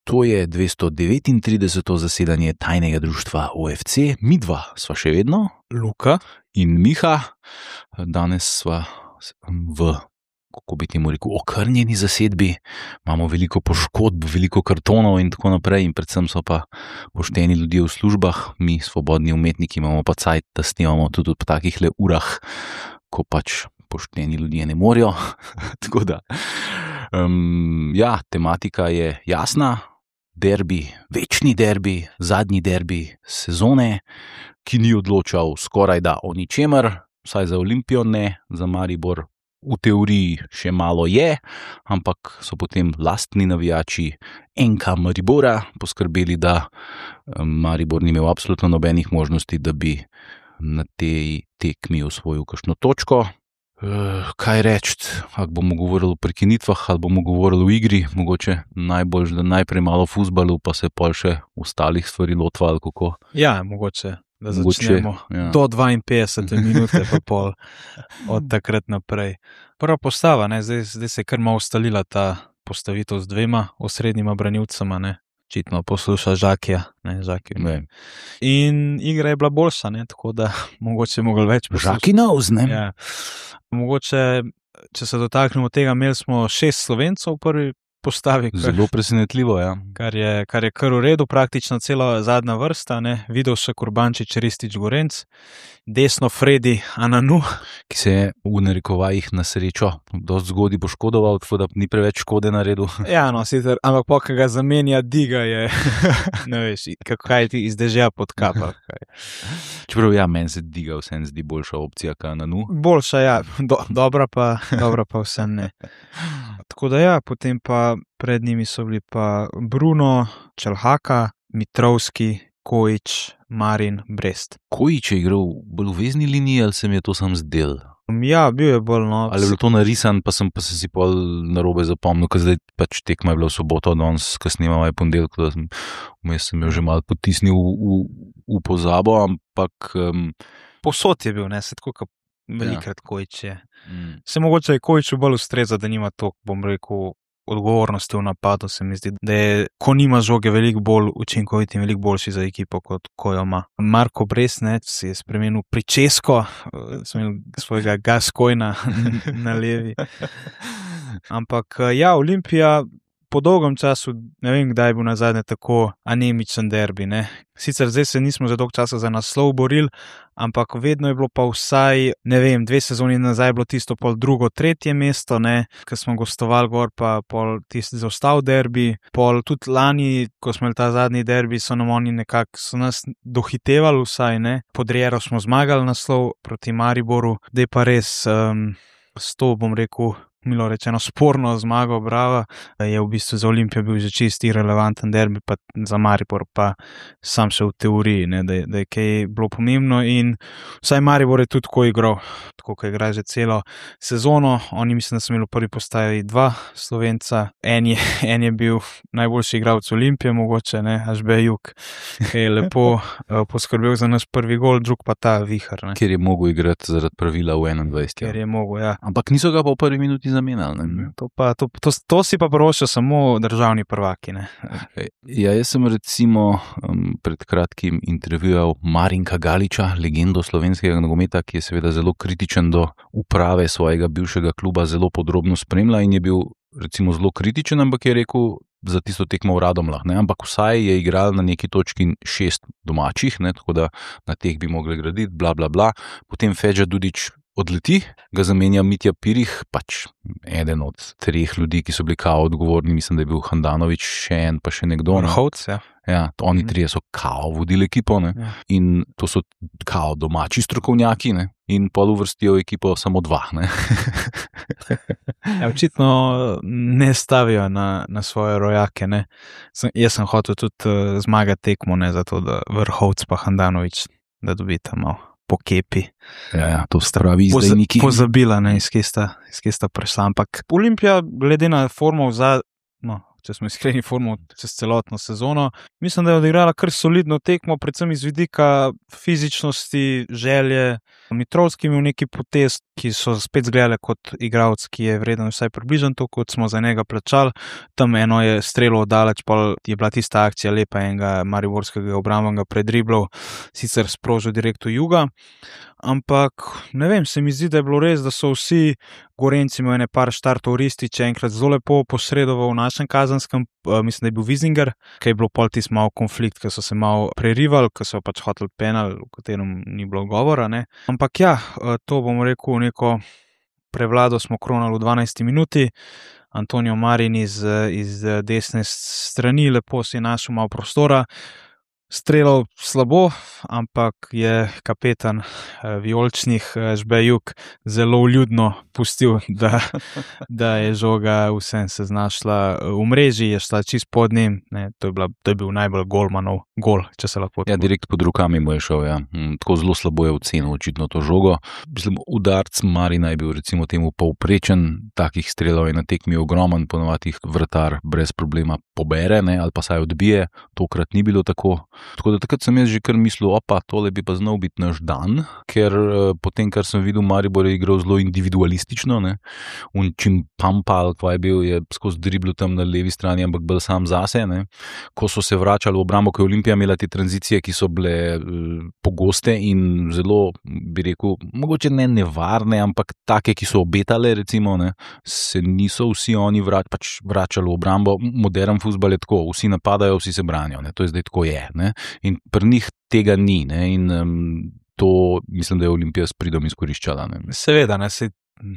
To je 239. zasedanje tajnega društva OFC. Midva sva še vedno, Luka in Miha. Danes sva v, kako bi temu rekel, okrnjeni zasedbi. Imamo veliko poškodb, veliko kartonov in tako naprej, in predvsem so pa pošteni ljudje v službah. Mi, svobodni umetniki, imamo pa cajt, da snemamo tudi po takih le urah, ko pač pošteni ljudje ne morejo. Tako da, tematika je jasna. Derbi, večni derbi, zadnji derbi sezone, ki ni odločal skoraj da o ničemer, vsaj za Olimpijo ne, za Maribor v teoriji še malo je, ampak so potem lastni navijači NK Maribora poskrbeli, da Maribor ni imel absolutno nobenih možnosti, da bi na tej tekmi osvojil kakšno točko. Kaj reči, ali bomo govorili o prekinitvah, ali bomo govorili o igri, mogoče najbolj, da najprej malo o fuzbalu, pa se pol še ostalih stvari lotva, ali kako? Ja, mogoče, da začnemo do 52 minute, pa pol od takrat naprej. Prva postava, ne, zdaj se je kar malo ustalila ta postavitev z dvema osrednjima branilcema, ne. Očitno posluša Žakija, ne, Žaki. Ne. In igra je bila boljša, ne, tako da mogoče mogli več poslušati. Žaki knows, ne? Ja. Mogoče, če se dotaknemo tega, imeli smo 6 Slovencov v prvi postavi. Zelo presenetljivo, ja. Kar je kar v redu, praktično cela zadnja vrsta, ne, Vidovšek, Urbančič, Ristić, Gorenc, desno Fredi Ananu, Ki se je v narekovajih na srečo dosti zgodaj poškodoval, tako da ni preveč škode naredil. ja, no, sicer, ampak po, ko ga zamenja Diga, je, ne veš, kaj ti iz dežja podkapa. Čeprav ja, meni se Diga vsem zdi boljša opcija, kot Ananu. Boljša, ja, dobra pa vsem ne. Tako da ja, potem pa pred njimi so bili pa Bruno, Čelhaka, Mitrovski, Kojič, Marin, Brest. Kojič je igral bolj v vezni liniji, ali se mi je to sam zdel? Ja, bil je bolj, no. Ali je bilo to narisan, pa sem si pol narobe zapomnil, ker zdaj pač tekma je bila v soboto, danes, ko snemamo je ponedeljek, da sem jo že malo potisnil v pozabo, ampak Povsod je bil, ne, se tako, kot velikrat Kojič je. Se mogoče je Kojiču bolj ustreza, da nima to, bom rekel, odgovornosti v napadu, se mi zdi, da je, ko nima žoge, veliko bolj učinkovit in veliko boljši za ekipo, kot ko jo ima. Marko Brest, ne, si je spremenil pričesko, svojega Gascoina na levi. Ampak ja, Olimpija po dolgem času, ne vem, kdaj je bil nazadnje tako anemičen derbi, ne. Sicer zdaj se nismo za dolg časa za naslov borili, ampak vedno je bilo pa vsaj, ne vem, 2 sezoni nazaj bilo tisto pol drugo, tretje mesto, ne, ko smo gostovali gor, pa pol tisti zaostal derbi, pol tudi lani, ko smo imeli ta zadnji derbi, so nas dohitevali vsaj, ne, pod Riero smo zmagali naslov proti Mariboru, da je pa res s to, bom rekel, milo rečeno, sporno zmago, brava, je v bistvu za Olimpijo bil že čist irelevanten derbi, pa za Maribor pa sam še v teoriji, ne, da je kaj bilo pomembno, in vsaj Maribor je tudi tako igral, tako ko igra že celo sezono. Oni mislim, da so imeli v prvi postavi 2 Slovenca, en je bil najboljši igralec Olimpije, mogoče, ne, Ažbe Juk, ki je lepo poskrbel za naš prvi gol, drug pa ta Vihar, ne. Ker je mogel igrati zaradi pravila v 21. Ker je mogel, ja. Ampak niso ga pa v prvi minuti zamenjali, ne? To si pa prošel samo državni prvaki, ne. Ja, jaz sem recimo pred kratkim intervjuval Marinka Galiča, legendo slovenskega nogometa, ki je seveda zelo kritičen do uprave svojega bivšega kluba, zelo podrobno spremlja in je bil recimo zelo kritičen, ampak je rekel za tisto tekmo v Radomljah, ne, ampak vsaj je igral na neki točki 6 domačih, ne, tako da na teh bi mogli graditi, bla, bla, bla. Potem Fedža Dudić odleti, ga zamenja Mitja Pirih, pač eden od 3 ljudi, ki so bili kao odgovorni, mislim, da je bil Handanović, še en, pa še nekdo. Vrhovc, ja. Ja, oni 3 so kao vodili ekipo, ne, Ja. in to so kao domači strokovnjaki, ne, in pol uvrstijo ekipo samo 2, ne. Ja, očitno ne stavijo na svoje rojake, ne. Jaz sem hotel tudi zmagati tekmo, ne, zato da Vrhovc pa Handanović, da dobita malo po kepi. Ja, to pravi izdajniki. Pozabila, ne, iz kje sta prišla, ampak Olimpija, glede na formo če smo iskreni, formo čez celotno sezono. Mislim, da je odigrala kar solidno tekmo, predvsem iz vidika fizičnosti, želje. Mitrovski imel neki potez, ki so spet zgledali kot igralec, ki je vreden vsaj približno to, kot smo za njega plačali. Tam eno je strelo daleč, pa je bila tista akcija lepa enega mariborskega obrambnega predriblov, sicer sprožil direkt v Juga. Ampak ne vem, se mi zdi, da je bilo res, da so vsi Gorenci imeli par štartov. Ristič je enkrat zelo lepo posredoval v našem kazanskem, mislim, da je bil Vizinger, ker je bilo pol tisti malo konflikt, ker so se malo prerivali, ker so pač hoteli penal, v katerem ni bilo govora, ne. Ampak ja, to bomo rekel, neko prevlado smo kronali v 12 minuti. Antonio Marin iz desne strani, lepo si je našel malo prostora. Strelal slabo, ampak je kapetan vijoličnih Žbejuk zelo vljudno pustil, da je žoga vsem se znašla v mreži, je šla čist pod njim. To je bil najbolj golmanov gol, če se lahko. Ja, direkt pod rokami mu je šel, ja. Tako zelo slabo je ocenil očitno to žogo. Mislim, udarc Marina je bil recimo temu povprečen, takih strelov je na tekmi ogromen, ponovadi jih vratar brez problema pobere, ne, ali pa saj odbije, tokrat ni bilo tako. Tako da takrat sem jaz že kar mislil, tole bi pa znal biti naš dan, ker potem, kar sem videl, Maribor je igral zelo individualistično, ne. Čim Pampal, kva je bil, je skozi driblu tam na levi strani, ampak bolj sam zase, ne. Ko so se vračali v obrambo, ko je Olimpija imela te tranzicije, ki so bile pogoste in zelo, bi rekel, mogoče ne nevarne, ampak take, ki so obetale, recimo, ne, se niso vsi oni vračali v obrambo. Modern fuzbal je tako, vsi napadajo, vsi se branijo, ne. To je zdaj tako je, ne. In pri njih tega ni, ne, in to mislim, da je Olimpija s pridom izkoriščala, ne. Seveda, ne,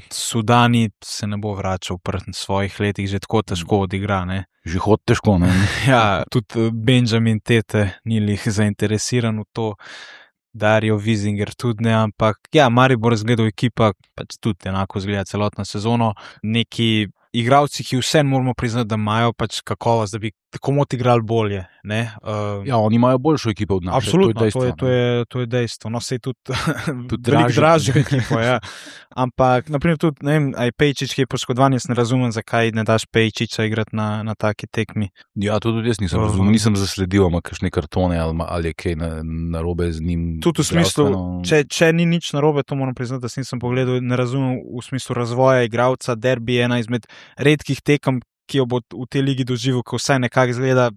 Sudani se ne bo vračal pri svojih letih, že tako težko odigra, ne. Že hod težko, ne. Ja, tudi Benjamin Tete ni lih zainteresiran v to, Dario Vizinger tudi ne, ampak ja, Maribor zgledal ekipa, pač tudi enako zgleda celotno sezono, neki igralci, ki vse moramo priznati, da imajo pač kakovost, da bi tako mot igrali bolje, ne. Ja, oni imajo boljšo ekipo od naše. Absolutno, to je dejstvo. No, sej tudi dražjo ekipo, ja. Ampak, naprimer tudi, ne vem, aj Pejčič, ki je poškodovan, jaz ne razumem, zakaj ne daš Pejčiča igrati na taki tekmi. Ja, to tudi jaz nisem razumel, nisem zasledil, ima kakšne kartone ali je kaj narobe z njim. Tudi v smislu, če ni nič narobe, to moram priznati, da nisem pogledal, ne razumem v smislu razvoja igralca. Derbi je ena izmed redkih tekem, ki jo bo v tej ligi doživel, ko vsaj nekako izgleda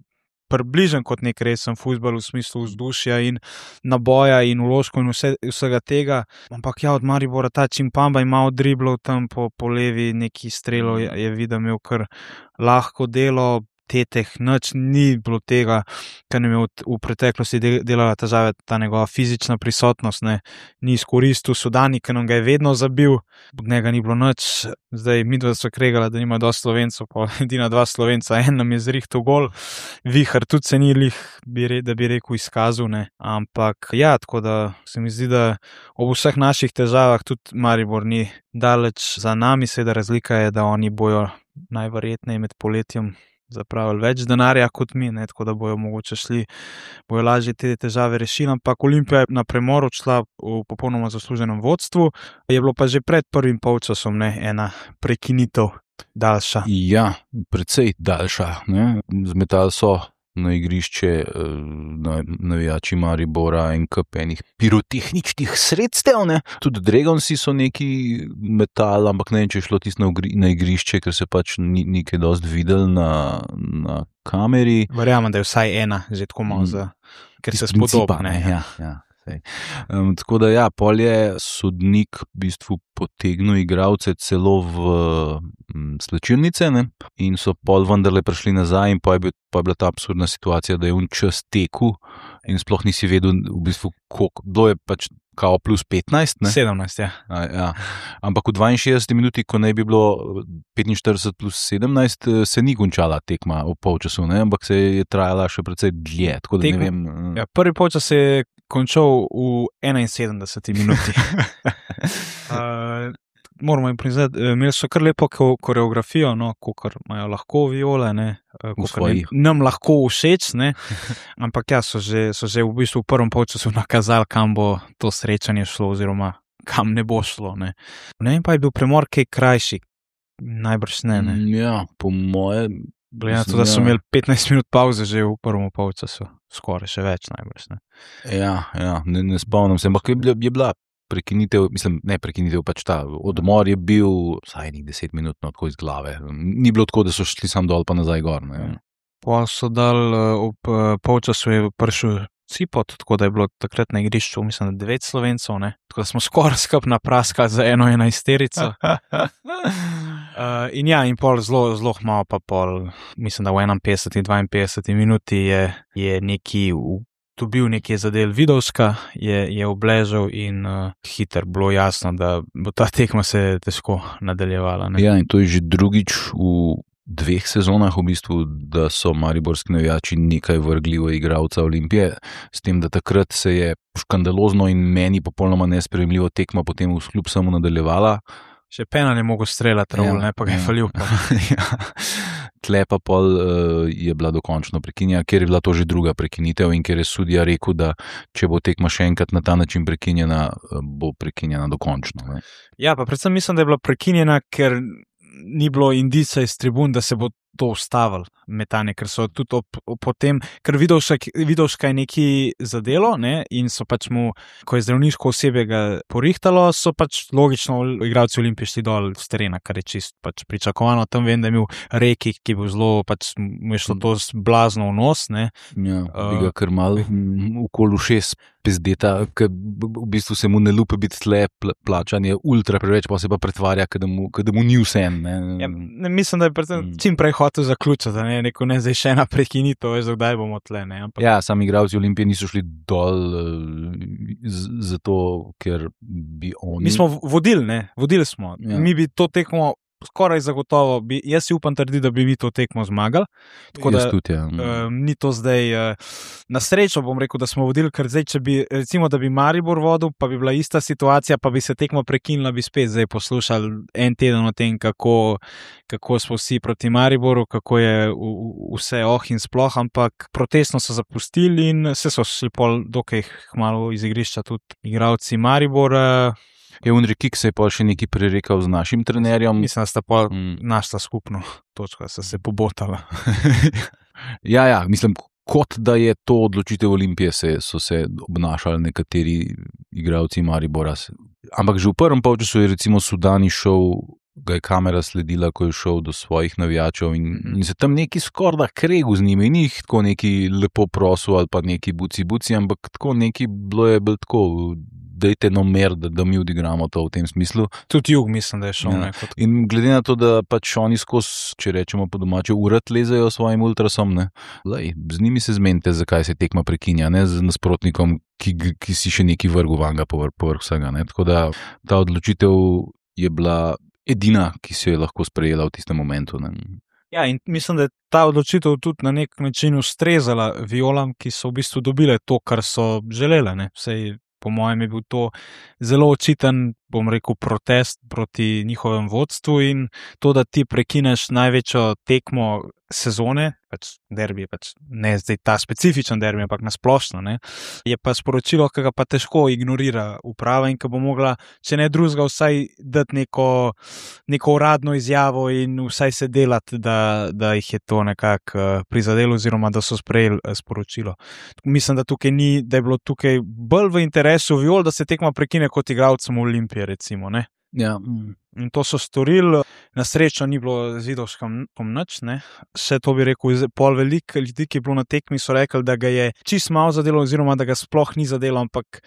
približen kot nek resen fuzbal v smislu vzdušja in naboja in vložkov in vsega tega. Ampak ja, od Maribora ta Čimpamba ima od driblov tam po levi neki strelov, je videl, imel kar lahko delo. Teteh, nič ni bilo tega, kar nam je v preteklosti delala težave, ta njegova fizična prisotnost, ne, ni izkoristil. Sudani, ki nam ga je vedno zabil, od njega ni bilo nič. Zdaj midva so kregala, da nima dosti Slovencov, pa edina 2 Slovenca, en nam je zrihtal gol, Vihar tudi se ni lih, da bi rekel, izkazal, ne, ampak ja, tako da se mi zdi, da ob vseh naših težavah tudi Maribor ni daleč za nami, seveda razlika je, da oni bojo najverjetneje med poletjem zapravili več denarja kot mi, ne, tako da bojo mogoče bojo lažje te težave rešili, ampak Olimpija je na premor odšla v popolnoma zasluženem vodstvu, je bilo pa že pred prvim polčasom, ne, ena prekinitev daljša. Ja, precej daljša, ne, zmetali so na igrišče navijači Maribora en kup enih pirotehničnih sredstev, ne. Tudi Dragonsi so neki metali, ampak ne vem, če je šlo tisto na igrišče, ker se pač ni kaj dosti videl na kameri. Verjamem, da je vsaj ena, že tako malo ker se spodobne. Ja. Tako da ja, pol je sodnik v bistvu potegnil igralce celo v slačilnice, ne, in so pol vendarle prišli nazaj in pa je bila ta absurdna situacija, da je čas tekel in sploh nisi vedel v bistvu koliko, bilo je pač kao plus 15, ne? 17, ja. Ja. Ampak v 62 minuti, ko naj bi bilo 45 plus 17, se ni končala tekma v polčasu, ne, ampak se je trajala še precej dlje, tako da ne vem. Ja, prvi polčas se je končal v 71 minuti. Moramo jim priznati, imeli so kar lepo koreografijo, no, kakor imajo lahko Viole, ne, nam lahko všeč, ne, ampak ja, so že v bistvu v prvem polčasu nakazali, kam bo to srečanje šlo oziroma kam ne bo šlo, ne. Ne vem, pa je bil premor kaj krajši, najbrž ne. Ja, po moje Glede na to, da so imeli 15 minut pauze že v prvem polčasu, skoraj še več najbrž. Ne? Ja, ne spomnim se, ampak je bila prekinitev, mislim, ne prekinitev, pač ta odmor je bil vsaj 10 minut tako iz glave. Ni bilo tako, da so šli sam dol pa nazaj gor. Ne? Pa so dal ob polčasu je prišel Cipot, tako da je bilo takrat na igrišču, mislim, da 9 Slovencev, ne? Tako da smo skoraj skup napraskali za 11-terico. In ja, in pol zelo malo pa pol, mislim, da v 51-52 minuti je neki dobil nekje zadel Vidovska, je obležal in hiter bilo jasno, da bo ta tekma se težko nadaljevala. Ne? Ja, in to je že drugič v 2 sezonah v bistvu, da so mariborski navijači nekaj vrgli v igralca Olimpije, s tem, da takrat se je škandalozno in meni popolnoma nesprejemljivo tekma potem v kljub samo nadaljevala. Še penal je mogel streljati, ne pa ga je falil. Tle pa pol je bila dokončno prekinjena, ker je bila to že druga prekinitev in ker je sudija rekel, da če bo tekma še enkrat na ta način prekinjena, bo prekinjena dokončno. Ne? Ja, pa predvsem mislim, da je bila prekinjena, ker ni bilo indica iz tribun, da se bo to ustavilo metanje, ker so tudi potem, ker Vidovška je neki zadelo, ne, in so pač mu, ko je zdravniško osebje ga porihtalo, so pač logično igralci Olimpije šli dol z terena, kar je čist pač pričakovano. Tam vem, da je imel Reki, ki je bil zelo, pač mu je šlo to blazno v nos, ne. Ja, bi ga kar mal okoli 6 pizdeta, ker v bistvu se mu ne lupe biti tle, plačanje ultra preveč, pa se pa pretvarja, da mu ni vsem, ne. Ja, ne, mislim, da je čim prej hotel zaključiti, ne, neko ne zdaj še ena prekinitev, veš, kdaj bomo tle, ne. Ampak... Ja, sami igralci Olimpije niso šli dol zato, ker bi oni... Mi smo vodili smo. Ja. Mi bi to tekmo skoraj zagotovo, jaz si upam trditi, da bi mi to tekmo zmagali. Tako da tudi, ja. Ni to zdaj, na srečo bom rekel, da smo vodili, ker zdaj, če bi, recimo, da bi Maribor vodil, pa bi bila ista situacija, pa bi se tekmo prekinila, bi spet zdaj poslušali en teden o tem, kako smo vsi proti Mariboru, kako je vse in sploh, ampak protestno so zapustili in se so šli pol dokaj malo iz igrišča tudi igralci Maribora. Je Unri Kik se je pa še nekaj prerekal z našim trenerjem. Mislim, da sta pa našla skupno točko, da sta se pobotala. Ja, mislim, kot da je to odločitev Olimpije, so se obnašali nekateri igralci Maribora. Ampak že v prvem polčasu je recimo Sudani šel, ga je kamera sledila, ko je šel do svojih navijačev in se tam neki skorda kregu z njimi, ni jih tako neki lepo prosil ali pa neki buci, ampak tako neki bilo je bil tako... dajte mer, da mi odigramo to v tem smislu. Tudi Jug mislim, da je šel. Ja. In glede na to, da pač oni skozi, če rečemo po domače, urad lezejo svojim ultrasom, ne? Lej, z njimi se zmenite, zakaj se tekma prekinja, ne z nasprotnikom, ki si še neki vrgu vanga povrh vsega. Ne? Tako da ta odločitev je bila edina, ki se je lahko sprejela v tistem momentu. Ne? Ja, in mislim, da je ta odločitev tudi na nek način ustrezala Violam, ki so v bistvu dobile to, kar so želele. Ne? Vsej, po mojem je bil to zelo očiten, bom rekel, protest proti njihovem vodstvu in to, da ti prekineš največjo tekmo sezone, pač derbi, pač ne zdaj ta specifičen derbi, ampak nasplošno, ne, je pa sporočilo, ki ga pa težko ignorira uprava in ki bo mogla, če ne drugega, vsaj dati neko uradno izjavo in vsaj se delati, da jih je to nekako prizadelo oziroma da so sprejeli sporočilo. Mislim, da je bilo tukaj bolj v interesu Viol, da se tekma prekine kot igralcem Olimpije, recimo, ne. Ja. In to so storili, na srečo ni bilo z Vidovskom nič, ne. Še to bi rekel, pol veliko ljudi, ki je bilo na tekmi, so rekli, da ga je čist malo zadelo oziroma da ga sploh ni zadelo, ampak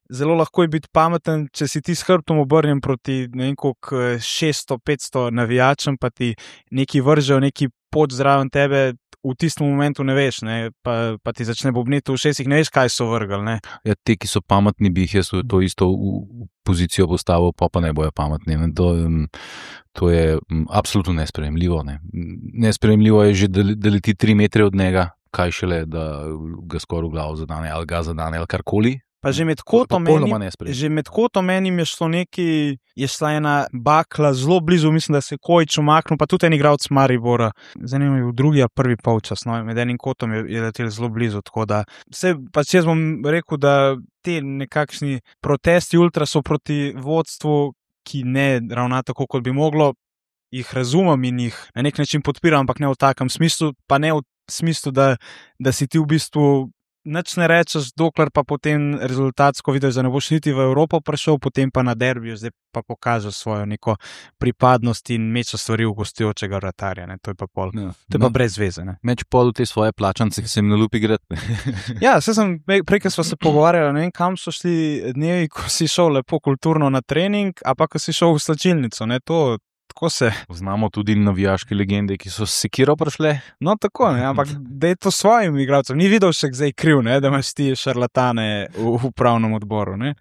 zelo lahko je biti pameten, če si ti s hrbtom obrnjen proti ne vem koliko 600-500 navijačem, pa ti neki vržejo, neki pot zraven tebe, v tistem momentu ne veš, ne, pa ti začne bobneti v ušesih, ne veš, kaj so vrgli. Ne. Ja, te, ki so pametni, bi jih jaz to isto v pozicijo postavil, pa ne bojo pametni. Ne. To je absolutno nesprejemljivo. Ne. Nesprejemljivo je že, da leti 3 metre od njega, kaj šele, da ga skoraj v glavo zadane ali ga zadane ali karkoli. Pa že med kotom enim je šlo neki, je šla ena bakla zelo blizu, mislim, da se je Kojič umaknil, pa tudi en igralec Maribora. Zanimivo je v drugi ali prvi polčas, no, med enim kotom je letel zelo blizu, tako da pač jaz bom rekel, da te nekakšni protesti ultra so proti vodstvu, ki ne ravna tako, kot bi moglo, jih razumem in jih na nek način podpiram, ampak ne v takem smislu, pa ne v smislu, da si ti v bistvu nič ne rečeš, dokler pa potem rezultatsko vidiš, da ne boš niti v Evropo prišel, potem pa na derbiju, zdaj pa pokažeš svojo neko pripadnost in mečeš stvari v gostujočega vratarja. Ne? To je pa pol. Ja. To je pa brez veze. Ne? Meč pol v te svoje plačance, ki se jim nalupi igrati. Ja, prej smo se pogovarjali, ne vem, kam so šli dnevi, ko si šel lepo kulturno na trening, a pa ko si šel v slačilnico. Ne? Tako se. Znamo tudi navijaške legende, ki so s sekiro prišle. No, tako, ne, ampak da je to svojim igralcem. Ni videl še zdaj kriv, ne, da imaš ti šarlatane v upravnem odboru. Ne.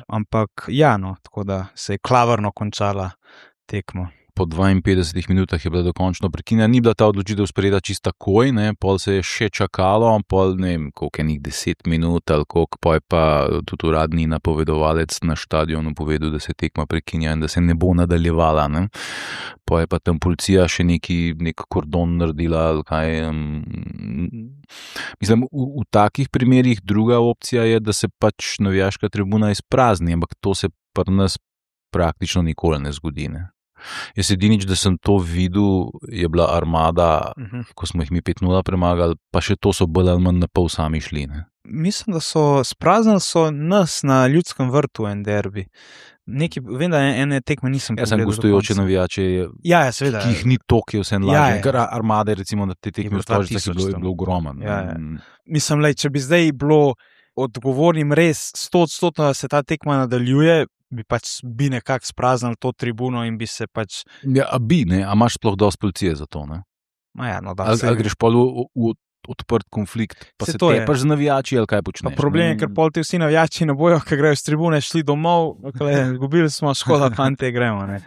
Ampak ja, no, tako da se je klavrno končala tekma. Po 52 minutah je bila dokončno prekinjena, ni bila ta odločitev sprejeta čisto takoj, ne, pol se je še čakalo, pol ne vem, koliko je 10 minut ali koliko, pa je pa tudi uradni napovedovalec na štadionu povedal, da se tekma prekinja in da se ne bo nadaljevala, ne. Pa je pa tam policija še nek kordon naredila ali kaj. Mislim, v takih primerih druga opcija je, da se pač navijaška tribuna izprazni, ampak to se pri nas praktično nikoli ne zgodi, ne. Jaz edinič, da sem to videl, je bila Armada, ko smo jih mi 5-0 premagali, pa še to so bolj ali manj na pol sami šli. Ne? Mislim, da so spraznili nas na Ljudskem vrtu en derbi. Vem, da ene tekme nisem pogledal. Jaz sem gostujoče navijače, seveda, ki jih ni toliko, je vse lažje. Ker Armade, recimo, na te tekme v Stožicah je bilo ogromen. Mislim, če bi zdaj bilo odgovornim res 100%, da se ta tekma nadaljuje, bi pač nekako spraznili to tribuno in bi se pač... Ja, a imaš sploh dosti policije za to, ne? Ja, no, da. Ali greš pa v odprt konflikt, pa se tepaš z navijači ali kaj počneš? Pa problem je, ker pol ti vsi navijači ne bojo, ker grejo s tribune, šli domov, gubili smo, škoda, fante, gremo, ne.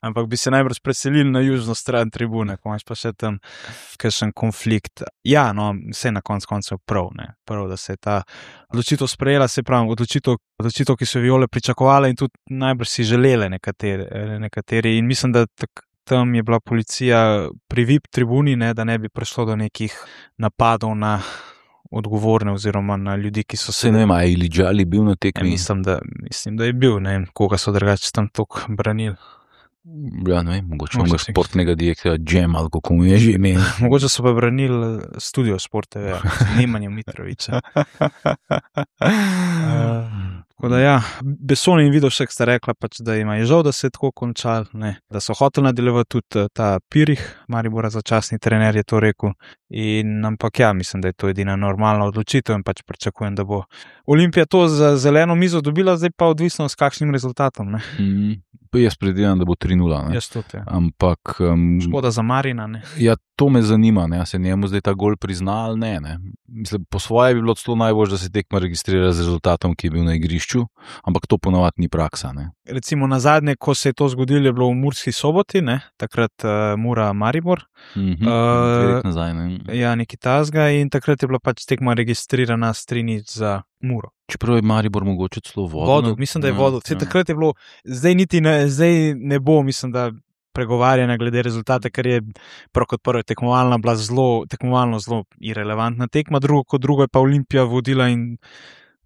Ampak bi se najbrž preselili na južno stran tribune, ko imaš pa še tam kakšen konflikt. Ja, no, vse na koncu prav, ne. Prav, da se je ta odločitev sprejela, se pravi, odločitev, ki so Viole pričakovali in tudi najbrž si želeli nekateri. In mislim, da tam je bila policija pri VIP tribuni, ne, da ne bi prišlo do nekih napadov na odgovorne oziroma na ljudi, ki so se... Ne vem, je Iliđali bil na tekmi? Mislim, da je bil, ne vem, koga so drugače tam toliko branili. Ja, ne vem, mogoče onega športnega direktorja Džem ali kako mu je že imel. Mogoče so pa branili Studio Sport TV, Nemanja Mitrovića. Tako da ja, Besson in Vidošek sta rekla pač, da ima je žal, da se je tako končal, ne, da so hoteli nadaljevati tudi ta Pirih, Maribora začasni trener je to rekel, ampak ja, mislim, da je to edina normalna odločitev in pač pričakujem, da bo Olimpija to za zeleno mizo dobila, zdaj pa odvisno s kakšnim rezultatom, ne. Jaz predvidevam, da bo 3-0, ne. Jaz tudi, ja. Ampak... Škoda za Marina, ne. Ja, to me zanima, ne, se njemu zdaj ta gol prizna ali ne. Mislim, po svoje bi bilo celo najbolj, da se tekma registrira z rezultatom, ki je bil na igrišču, ampak to ponavadi ni praksa, ne. Recimo na zadnje, ko se je to zgodilo, je bilo v Murski Soboti, ne, takrat Mura Maribor. Nazaj, ne. Ja, nekaj tazga in takrat je bila pač tekma registrirana s 3-0 za Muro. Čeprav je Maribor mogoče celo vodo. Mislim, da je vodo. Takrat je bilo, zdaj ne bo, mislim, da pregovarjanja glede rezultata, ker je prav kot prvo tekmovalna bila tekmovalno zelo irelevantna tekma, drugo je pa Olimpija vodila in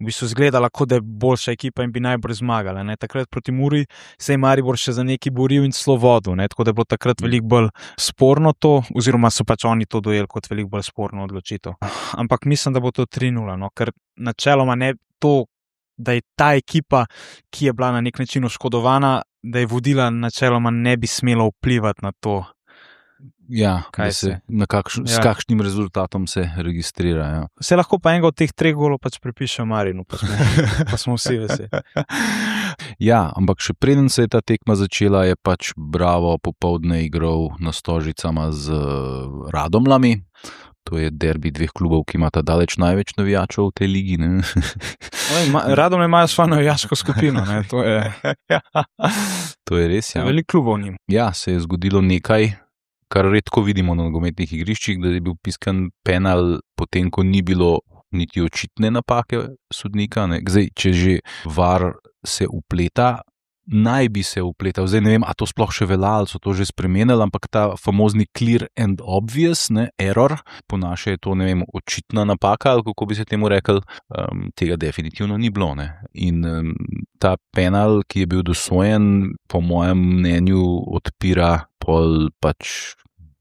v bistvu izgledala, kot da je boljša ekipa in bi najbolj zmagala. Ne. Takrat proti Muri se je Maribor še za neki boril in celo vodil, ne. Tako da je bilo takrat veliko bolj sporno to, oziroma so pač oni to dojeli kot veliko bolj sporno odločitev. Ampak mislim, da bo to 3-0, no, ker načeloma ne to, da je ta ekipa, ki je bila na nek način oškodovana, da je vodila načeloma ne bi smelo vplivati na to. Ja, s kakšnim rezultatom se registrira. Ja. Se lahko pa enega od teh 3 golov pač pripiše Marinu, pa smo vsi veseli. Ja, ampak še preden se je ta tekma začela, je pač Bravo popoldne igral na Stožicama z Radomljami. To je derbi 2 klubov, ki imata daleč največ navijačev v tej ligi. Radomlje imajo svojo navijaško skupino. Ne? To je res, ja. Veliko klubov njim. Ja, se je zgodilo nekaj, kar redko vidimo na nogometnih igriščih, da je bil piskan penal, potem ko ni bilo niti očitne napake sodnika. Ne. Zdaj, če že VAR se upleta, naj bi se upletal. Zdaj ne vem, a to sploh še velja, ali so to že spremenili, ampak ta famozni clear and obvious, error, po naše je to, ne vem, očitna napaka, ali kako bi se temu rekel, tega definitivno ni bilo. Ne. In ta penal, ki je bil dosojen, po mojem mnenju odpira pol pač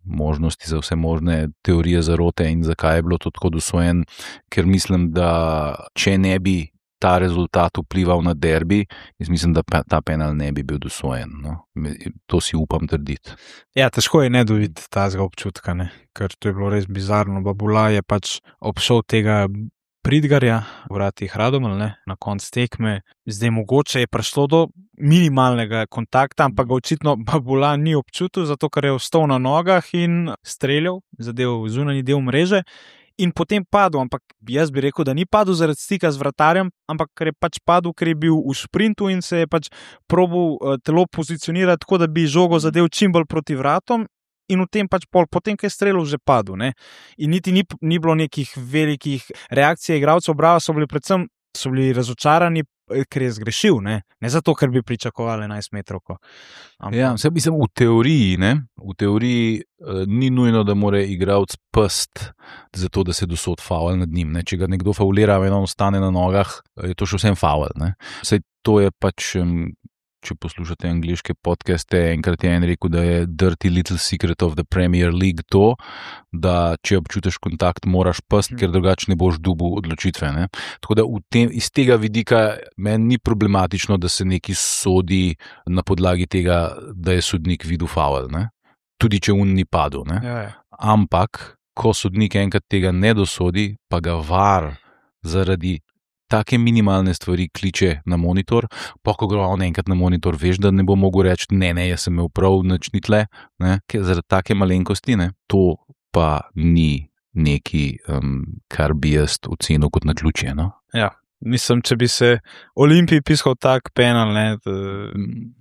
možnosti za vse možne teorije zarote in zakaj je bilo to tako dosojen, ker mislim, da če ne bi ta rezultat vplival na derbi, jaz mislim, da ta penal ne bi bil dosojen. No. To si upam trditi. Ja, težko je ne dobiti tazga občutka, ne? Ker to je bilo res bizarno. Babula je pač obšel tega Pridgarja, vratih Radomelj, ne? Na konc tekme. Zdaj mogoče je prišlo do minimalnega kontakta, ampak ga očitno Babula ni občutil, zato ker je ostal na nogah in streljal, zadev zunanji del mreže. In potem padel, ampak jaz bi rekel, da ni padel zaradi stika z vratarjem, ampak ker je pač padel, ker je bil v sprintu in se je pač probal telo pozicionirati tako, da bi žogo zadev čim bolj proti vratom in v tem pač potem, ker je streljal, že padel. Ne? In niti ni bilo nekih velikih reakcij igralcev Brava, so bili razočarani, ker je zgrešil, ne zato, ker bi pričakovali 11 metrovko. Ja, mislim, v teoriji ni nujno, da mora igralec past zato, da se dosod faul nad njim. Ne. Če ga nekdo faulira, eno ostane na nogah, je to še vsem faul. Saj to je pač, če poslušate angliške podcaste, enkrat je en rekel, da je dirty little secret of the Premier League to, da če občutiš kontakt, moraš past, ker drugače ne boš dobil odločitve. Ne? Tako da iz tega vidika meni ni problematično, da se neki sodi na podlagi tega, da je sodnik videl faul. Tudi če ni padel. Ja. Ampak, ko sodnik enkrat tega ne dosodi, pa ga VAR zaradi take minimalne stvari kliče na monitor, pa ko gre on enkrat na monitor, veš, da ne bo mogel reči, ne, jaz sem imel prav, nič ni tle, zaradi take malenkosti, to pa ni neki, kar bi jaz ocenil kot naključje. No? Ja, mislim, če bi se Olimpiji piskal tak penal,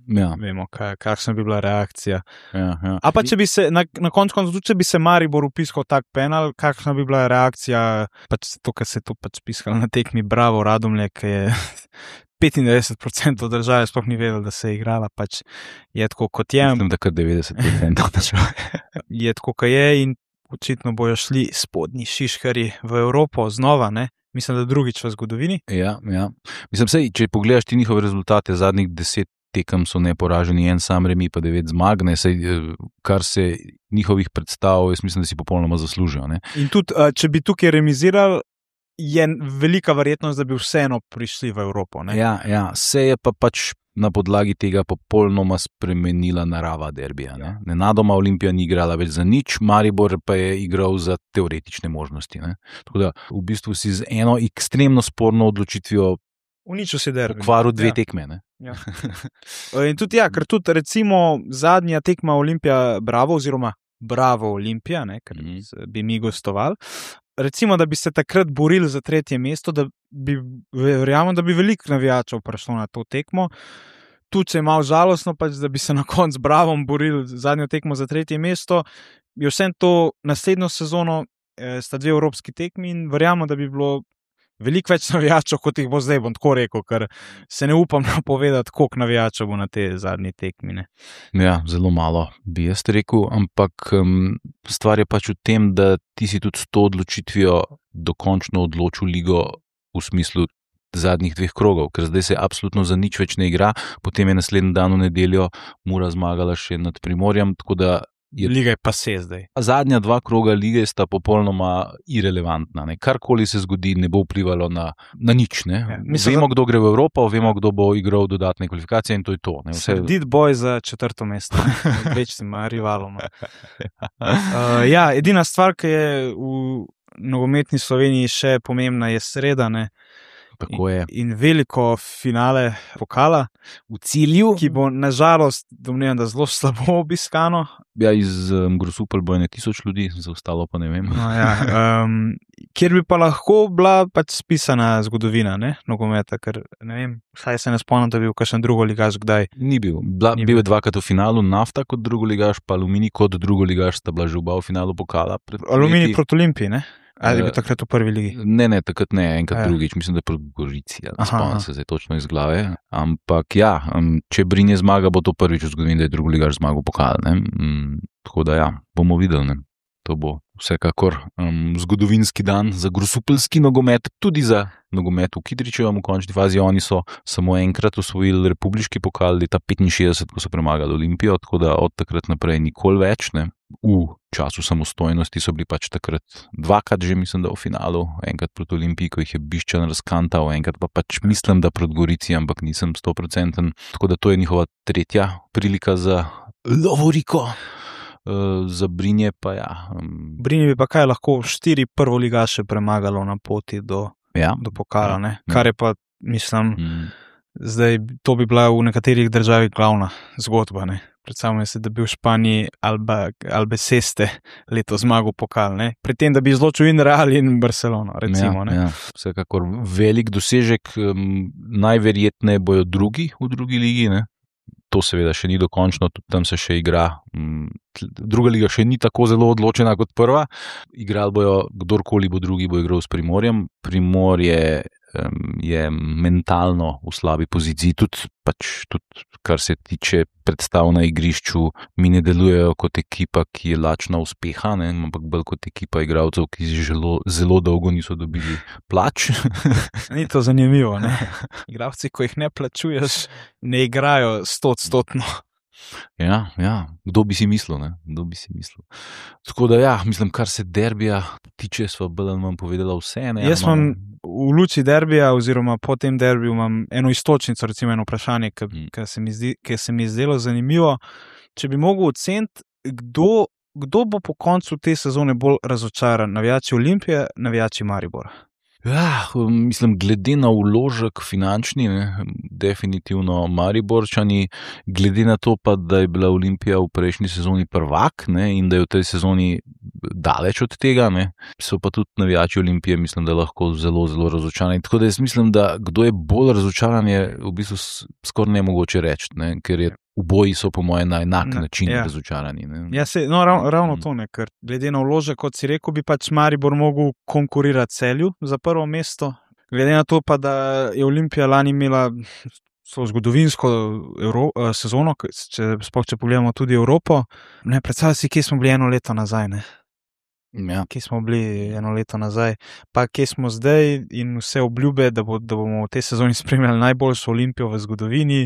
vemo, kakšna bi bila reakcija. Ja. A pa če bi se, na koncu, če bi se Maribor piskal tak penal, kakšna bi bila reakcija, pač to, kar se je to pač piskalo na tekmi Bravo Radomlje, ki je 95% države sploh ni vedel, da se je igrala, pač je tako, kot je. Mislim, da kar 90% države. Je tako, kot je in očitno bojo šli spodnji šiškari v Evropo znova, Mislim, da drugič v zgodovini. Ja. Mislim, če pogledaš ti njihove rezultate, zadnjih 10 tekem so neporaženi, en sam remi pa 9 zmag, kar se njihovih predstav, jaz mislim, da si popolnoma zaslužijo. In tudi, če bi tukaj remizirali, je velika verjetnost, da bi vseeno prišli v Evropo. Ja, se je pa pač na podlagi tega popolnoma spremenila narava derbija. Nenadoma Olimpija ni igrala več za nič, Maribor pa je igral za teoretične možnosti. Tako da v bistvu si z eno ekstremno sporno odločitvijo uničil si derbi. Pokvaril 2 tekme. Ja. In tudi ker tudi recimo zadnja tekma Olimpija Bravo oziroma Bravo Olimpija, ker bi mi gostovali. Recimo, da bi se takrat borili za 3. mesto, verjamem, da bi veliko navijačev prišlo na to tekmo. Tudi je malo žalostno, pač, da bi se na koncu z Bravom borili zadnjo tekmo za 3. mesto. Je vsem to naslednjo sezono sta 2 evropski tekmi in verjamem, da bi bilo veliko več navijačev, kot jih bo zdaj, bom tako rekel, ker se ne upam napovedati, koliko navijačev bo na te zadnji tekmi. Ja, zelo malo bi jaz rekel, ampak stvar je pač v tem, da ti si tudi s to odločitvijo dokončno odločil ligo v smislu zadnjih 2 krogov, ker zdaj se absolutno za nič več ne igra, potem je naslednji dan v nedeljo Mura zmagala še nad Primorjem, tako da liga je pa se zdaj. Zadnja 2 kroga lige sta popolnoma irelevantna. Karkoli se zgodi, ne bo vplivalo na nič. Ja, vemo, kdo gre v Evropo, vemo, kdo bo igral dodatne kvalifikacije in to je to. Sredit boj za 4. mesto. Večnim rivalom. Edina stvar, ki je v nogometni Sloveniji še pomembna, je sreda. In veliko finale pokala v Cilju, ki bo nažalost, domnevam, da zelo slabo obiskano. Ja, iz Grosuplja bo 1000 ljudi, za ostalo pa ne vem. Kjer bi pa lahko bila pač spisana zgodovina, nogometa, ker ne vem, vsaj se ne spomnim, da bi bil kakšen drugoligaš kdaj. Ni bil. Bil je 2krat v finalu, Nafta kot drugoligaš, pa Aluminij kot drugoligaš sta bila že oba v finalu pokala. Aluminij proti Olimpiji, Ali je bil takrat v prvi ligi? Ne, takrat ne, enkrat drugič, mislim, da je proti Gorici, spomnim se zdaj točno iz glave. Ampak ja, če Brinje zmaga, bo to prvič v zgodovini, da je drugoligaš zmagal pokal. Tako da ja, bomo videli. To bo vsekakor zgodovinski dan za grosupeljski nogomet, tudi za nogomet v Kidričevem v končni fazi. Oni so samo enkrat osvojili republiški pokal leta 65, ko so premagali Olimpijo, tako da od takrat naprej nikoli več. V času samostojnosti so bili pač takrat dvakrat že, mislim, da v finalu, enkrat proti Olimpiji, ko jih je Bišćan razkantal, enkrat pa pač mislim, da proti Gorici, ampak nisem 100%. Tako da to je njihova tretja prilika za lovoriko. Za Brinje pa ja. Brinje bi pa kaj lahko 4 prvoligaše premagalo na poti do pokala, ne? Kar je pa, mislim, zdaj to bi bila v nekaterih državah glavna zgodba, ne? Predstavljam se, da bi v Španiji Albacete leto zmagal pokal, ne? Pri tem, da bi izločil in Real in Barcelono, recimo, ne? Ja. Vsekakor velik dosežek, najverjetneje bojo drugi v drugi ligi, ne? To seveda še ni dokončno, tudi tam se še igra. Druga liga še ni tako zelo odločena kot prva. Igrali bojo, kdorkoli bo drugi, bo igral s Primorjem. Primorje je mentalno v slabi poziciji, tudi kar se tiče predstav na igrišču, mi ne delujejo kot ekipa, ki je lačna uspeha, ne? Ampak bolj kot ekipa igralcev, ki zelo dolgo niso dobili plač. Ni to zanimivo, ne? Igralci, ko jih ne plačuješ, ne igrajo 100%. Ja, kdo bi si mislil, ne? Kdo bi si mislil. Tako da ja, mislim, kar se derbija tiče, sva bolj ali manj povedala vse, ne? Jaz imam v luči derbija oziroma po tem derbiju imam eno istočnico, recimo eno vprašanje, ki se mi je zdelo zanimivo. Če bi mogel oceniti, kdo bo po koncu te sezone bolj razočaran, navijači Olimpije, navijači Maribora? Ja, mislim, glede na vložek finančni, ne, definitivno Mariborčani, glede na to pa, da je bila Olimpija v prejšnji sezoni prvak, ne, in da je v tej sezoni daleč od tega, ne, so pa tudi navijači Olimpije, mislim, da lahko zelo, zelo razočarani. Tako da jaz mislim, da kdo je bolj razočaran, je v bistvu skoraj nemogoče reči, ne, ker je oboji so po mojem na enak način razočarani. Ja, ravno to, ne, ker glede na vložek, kot si rekel, bi pač Maribor mogel konkurirati Celju za prvo mesto. Glede na to pa, da je Olimpija lani imela zgodovinsko sezono, če pogledamo tudi Evropo, ne, predstavljaj si, kje smo bili eno leto nazaj, ne. Ja. Kje smo bili eno leto nazaj, pa kje smo zdaj in vse obljube, da bomo v tej sezoni spremljali najboljšo Olimpijo v zgodovini,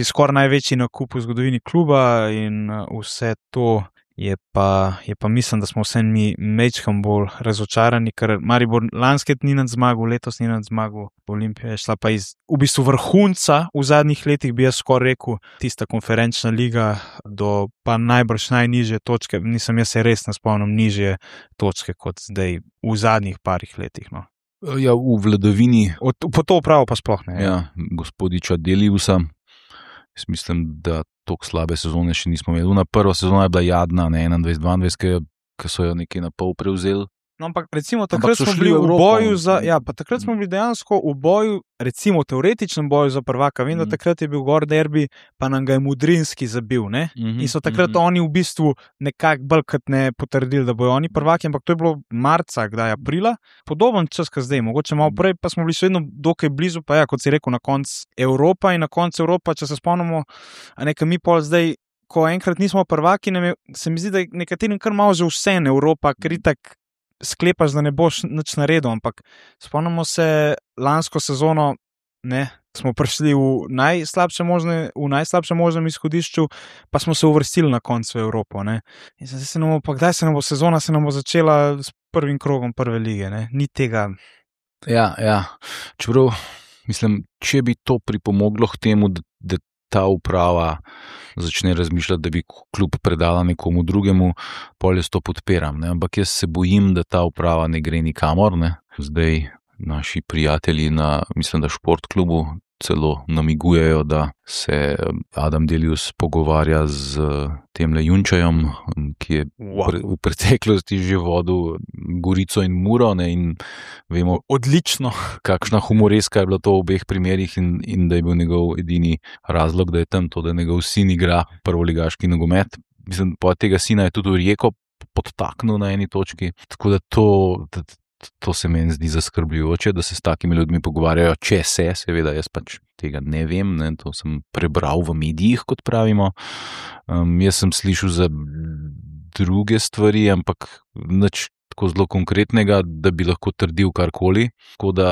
skoraj največji nakup v zgodovini kluba in vse to je pa mislim, da smo vse mi mečkam bolj razočarani, ker Maribor lansket ni nad zmagal, letos ni nad zmagal, Olimpija je šla pa iz v bistvu vrhunca v zadnjih letih, bi jaz skoraj rekel, tista konferenčna liga do pa najbrž najnižje točke, jaz se res ne spomnim nižje točke kot zdaj v zadnjih parih letih, no. Ja, v vladavini. Po to upravo pa sploh ne. Ja, gospodiča Deliusa. Jaz mislim, da toliko slabe sezone še nismo imeli. Prva sezona je bila jadna, ne 21-22, ki so jo nekaj na pol prevzeli. No, ampak recimo takrat smo bili v boju takrat smo bili dejansko v boju, recimo v teoretičnem boju za prvaka. Vem, da takrat je bil gor derbi, pa nam ga je Mudrinski zabil, ne? In so takrat oni v bistvu nekako bolj kot ne potrdili, da bojo oni prvaki, ampak to je bilo marca, kdaj aprila. Podoben čas, kot zdaj, mogoče malo prej, pa smo bili še vedno dokaj blizu, pa ja, kot si rekel, na koncu Evropa in na koncu Evropa, če se spomnimo, a nekaj mi pol zdaj, ko enkrat nismo prvaki, se mi zdi, da nekaterim kar malo že vse Evropa, ker itak sklepaš, da ne boš nič naredil, ampak spomnimo se lansko sezono, ne, smo prišli v najslabšem možnem izhodišču, pa smo se uvrstili na koncu v Evropo, ne. In zdaj kdaj se nam bo sezona začela s prvim krogom prve lige, ne, ni tega. Ja, čeprav, mislim, če bi to pripomoglo k temu, da ta uprava začne razmišljati, da bi klub predala nekomu drugemu, pol jaz to podpiram, ne? Ampak jaz se bojim, da ta uprava ne gre nikamor, ne? Zdaj naši prijatelji mislim, da Šport klubu celo namigujejo, da se Adam Delius pogovarja z temle Junčajem, ki je v preteklosti že vodil Gorico in Muro, ne, in vemo odlično, kakšna humoreska je bila to v obeh primerih in da je bil njegov edini razlog, da je tam to, da njegov sin igra prvoligaški nogomet. Mislim, po tega sina je tudi v Rijeko podtaknil na eni točki. Tako da to se meni zdi zaskrbljujoče, da se s takimi ljudmi pogovarjajo, če se, seveda jaz pač tega ne vem, ne, to sem prebral v medijih, kot pravimo. Jaz sem slišal za druge stvari, ampak nič tako zelo konkretnega, da bi lahko trdil karkoli. Tako da,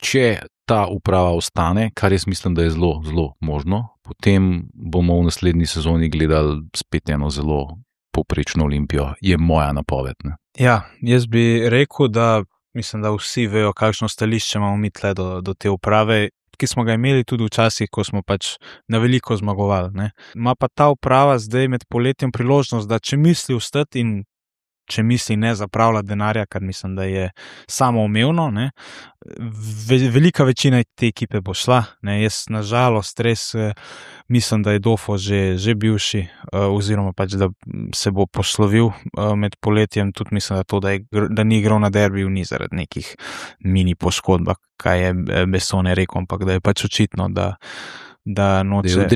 če ta uprava ostane, kar jaz mislim, da je zelo, zelo možno, potem bomo v naslednji sezoni gledali spet eno zelo povprečno Olimpijo, je moja napoved. Ne? Ja, jaz bi rekel, da mislim, da vsi vejo, kakšno stališče imamo mi tle do te uprave, ki smo ga imeli tudi včasih, ko smo pač na veliko zmagovali. Ne. Ma pa ta uprava zdaj med poletjem priložnost, da če misli vstati in če misli ne zapravljati denarja, kar mislim, da je samoumevno, ne, velika večina te ekipe bo šla. Ne. Jaz nažalost res mislim, da je Dofo že bivši, oziroma pač, da se bo poslovil med poletjem. Tudi mislim, da ni igral na derbiju, ni zaradi nekih mini poškodb, kaj je Bessone rekel, ampak da je pač očitno, da noče,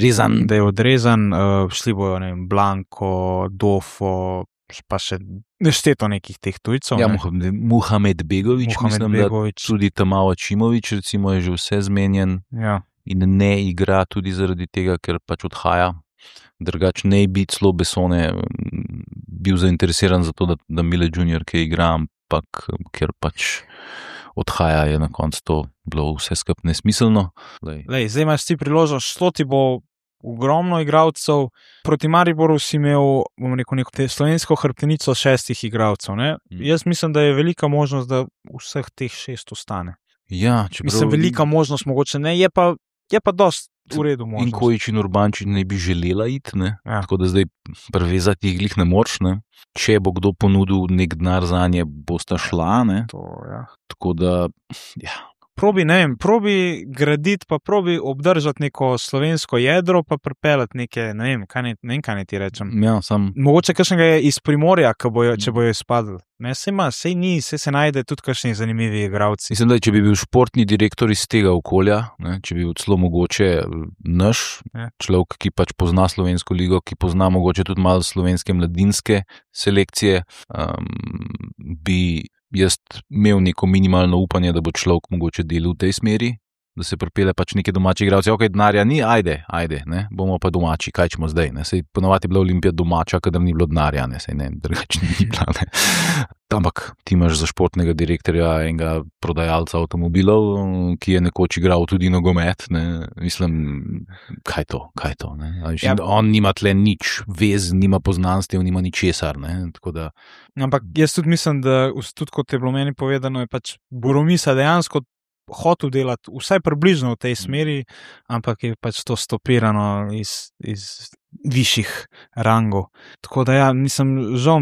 da je odrezan. Šli bojo, ne vem, Blanko, Dofo, pa še nešteto nekih teh tujcev. Ja, Muhamed Begović, mislim, da tudi Tamao Čimović, recimo, je že vse zmenjen. Ja. In ne igra tudi zaradi tega, ker pač odhaja. Drugače ne bi celo Bessone bil zainteresiran za to, da Mile Junior, ki igra, ampak ker pač odhaja, je na koncu to bilo vse skupaj nesmiselno. Zdaj imaš ti priložnost, šlo ti bo ogromno igralcev, proti Mariboru si imel, bom rekel, neko slovensko hrbtenico 6 igralcev. Jaz mislim, da je velika možnost, da vseh teh 6 ostane. Ja, mislim, velika možnost mogoče ne, je pa dosti v redu možnost. In Kojić in Urbančič ne bi želela iti, ne? Ja. Tako da zdaj prevezati jih glih ne moreš, ne? Če bo kdo ponudil nek denar zanje, bosta šla, ne? Ja. Tako da, ja. Probi graditi, pa probi obdržati neko slovensko jedro, pa pripeljati neke, ne vem, kaj ne ti rečem. Ja, mogoče kakšnega je iz Primorja, če bojo izpadli. Sej se najde tudi kakšni zanimivi igralci. Mislim, da če bi bil športni direktor iz tega okolja, ne, če bi bil celo mogoče naš človek, ki pač pozna slovensko ligo, ki pozna mogoče tudi malo slovenske mladinske selekcije, bi jaz imel neko minimalno upanje, da bo človek mogoče delal v tej smeri, da se pripelje pač neke domači igralci. Ok, denarja ni, ajde, ne, bomo pa domači, kaj ćemo zdaj, ne, sej ponovadi je bila Olimpija domača, kadar ni bilo denarja, ne, sej ne, drugače ni bila, ne. Ampak ti imaš za športnega direktorja enega prodajalca avtomobilov, ki je nekoč igral tudi nogomet, ne, mislim, kaj to, ne, ja. On nima tle nič, vez, nima poznanstev, nima ničesar, ne, tako da. Ampak jaz tudi mislim, da tudi kot je bilo meni povedano, je pač Boromisa dejansko hotel delati vsaj približno v tej smeri, ampak je pač to stopirano iz višjih rangov. Tako da ja, žal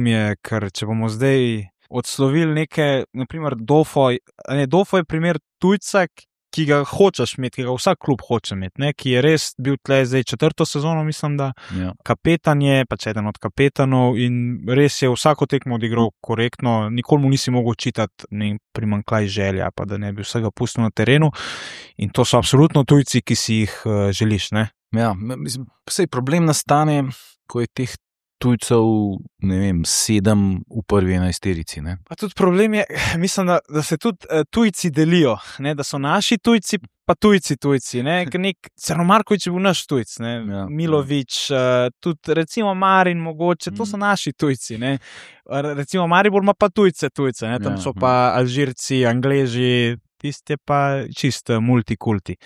mi je, ker če bomo zdaj odslovili neke, naprimer Dofo je primer tujca, ki ga hočeš imeti, ki ga vsak klub hoče imeti, ne, ki je res bil tle zdaj 4. sezono, mislim, da ja. Kapetan je, pač eden od kapetanov in res je vsako tekmo odigral korektno, nikoli mu nisi mogel čitati primanjkljaj želja, pa da ne bi vsega pustil na terenu in to so absolutno tujci, ki si jih želiš, ne. Ja, mislim, sej problem nastane, ko je teh tujcev, ne vem, 7 v prvi 11-terici, ne. Pa tudi problem je, mislim, da se tudi tujci delijo, ne, da so naši tujci, pa tujci, ne, nek Crnomarković je bil naš tujc, ne, ja, Milović, tudi recimo Marin mogoče, to so naši tujci, ne, recimo Maribor ima pa tujce, ne, tam so pa Alžirci, Angleži, tiste pa čist multikulti.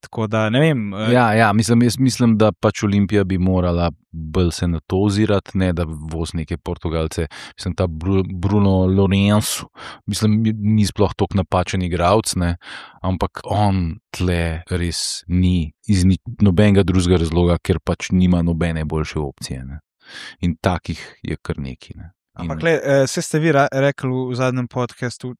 Tako da, ne vem. Ja, mislim, da pač Olimpija bi morala bolj se na to ozirati, ne da voz neke Portugalce. Mislim, ta Bruno Lourenço, mislim, ni sploh toliko napačen igralec, ne, ampak on tle res ni iz nobenega drugega razloga, ker pač nima nobene boljše opcije, ne. In takih je kar neki, ne. Ampak se ste vi rekli v zadnjem podcastu,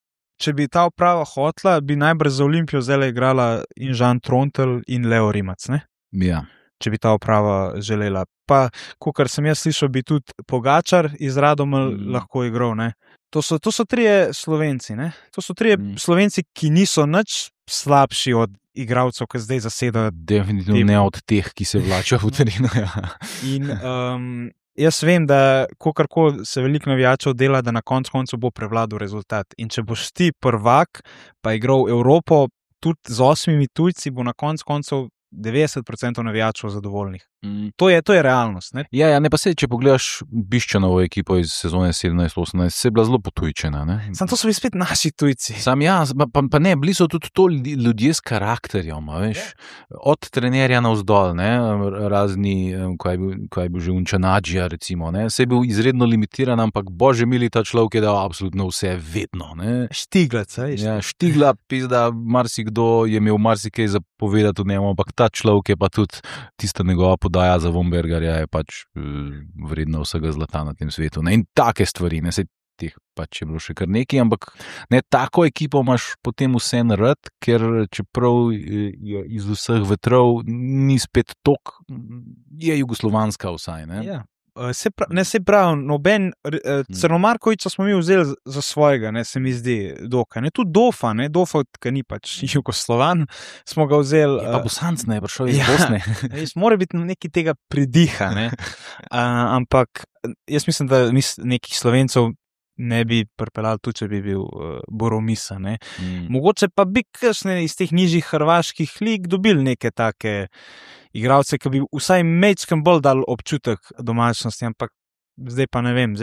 če bi ta uprava hotla, bi najbrž za Olimpijo zdaj igrala in Žan Trontelj in Leo Rimac, ne? Ja. Če bi ta uprava želela. Pa, kakor sem jaz slišal, bi tudi Pogačar iz Radomelj lahko igral, ne? To so trije Slovenci, ne? To so trije Slovenci, ki niso nič slabši od igralcev, ki zdaj zasedajo. Definitivno ne od teh, ki se vlačajo v terenu, ja. In jaz vem, da kogarkoli se veliko navijačev dela, da na koncu bo prevladal rezultat. In če boš ti prvak, pa igral Evropo, tudi z 8 tujci, bo na koncu 90% navijačev zadovoljnih. To je realnost. Ne? Ja, ne pa se, če pogledaš Biščanovo ekipo iz sezone 17-18, se je bila zelo potujčena. Sam to so bili spet naši tujci. Sam pa ne, bili so tudi to ljudje s karakterjem, veš, od trenerja navzdol, ne, razni, ko je bil že Unčanadžija, recimo, ne, se je bil izredno limitiran, ampak bože mili, ta človek je dal absolutno vse, vedno, ne. Štiglac, ja, Štigla, pizda, marsikdo je imel marsikaj zapovedati v njemu, ampak ta človek je pa tudi tista njegova podaja za Vombergarja je pač vredna vsega zlata na tem svetu. Ne? In take stvari, ne, se teh pač je bilo še kar nekaj, ampak ne, tako ekipo imaš potem vse narad, ker čeprav je iz vseh vetrov ni spet tok, je jugoslovanska vsaj, ne. Ja. Se pravi, noben Crnomarkoviča smo mi vzeli za svojega, ne, se mi zdi dokaj. Tudi Dofa, ki ni pač Jugoslovan, smo ga vzeli. Pa Bosanc ne, prišel iz Bosne. Mora biti nekaj tega pridiha, ne. Ampak jaz mislim, da nekih Slovencev ne bi pripeljali tudi, če bi bil Boromisa, ne. Mogoče pa bi kakšne iz teh nižjih hrvaških lig dobili neke take igralce, ki bi vsaj mečkem bolj dal občutek domačnosti, ampak zdaj pa ne vem,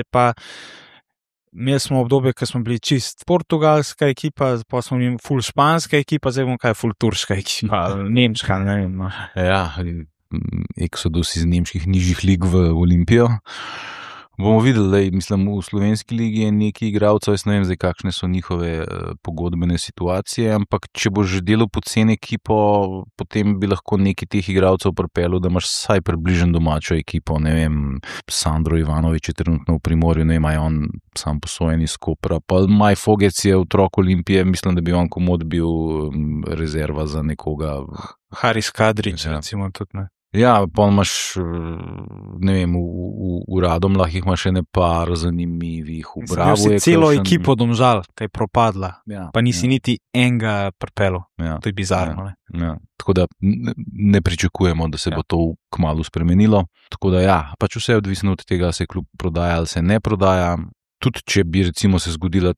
imeli smo obdobje, ko smo bili čist portugalska ekipa, pa smo imeli ful španska ekipa, zdaj bomo kaj ful turška ekipa, nemška, ne vem. No. Ja, eksodus iz nemških nižjih lig v Olimpijo. Bomo videli, mislim, v slovenski ligi je nekaj igralcev, jaz ne vem zdaj, kakšne so njihove pogodbene situacije, ampak če boš že delal poceni ekipo, potem bi lahko nekaj teh igralcev pripeljal, da imaš vsaj približno domačo ekipo, ne vem, Sandro Ivanović je trenutno v Primorju, ne vem, je on sam posojen iz Kopra, pa Maj Fogec je otrok Olimpije, mislim, da bi on komod bil rezerva za nekoga. Haris Kadrić, recimo tudi, ne. Ja, pa imaš, ne vem, v Radomljah jih imaš še ne par zanimivih, v Bravo je celo ekipo Domžal, kaj je propadla, pa nisi niti enega pripeljal, to je bizarno. Ja. Tako da ne pričakujemo, da se bo to kmalu spremenilo, tako da ja, pač vse je odvisno od tega, se klub prodaja ali se ne prodaja. Tudi če bi recimo se zgodil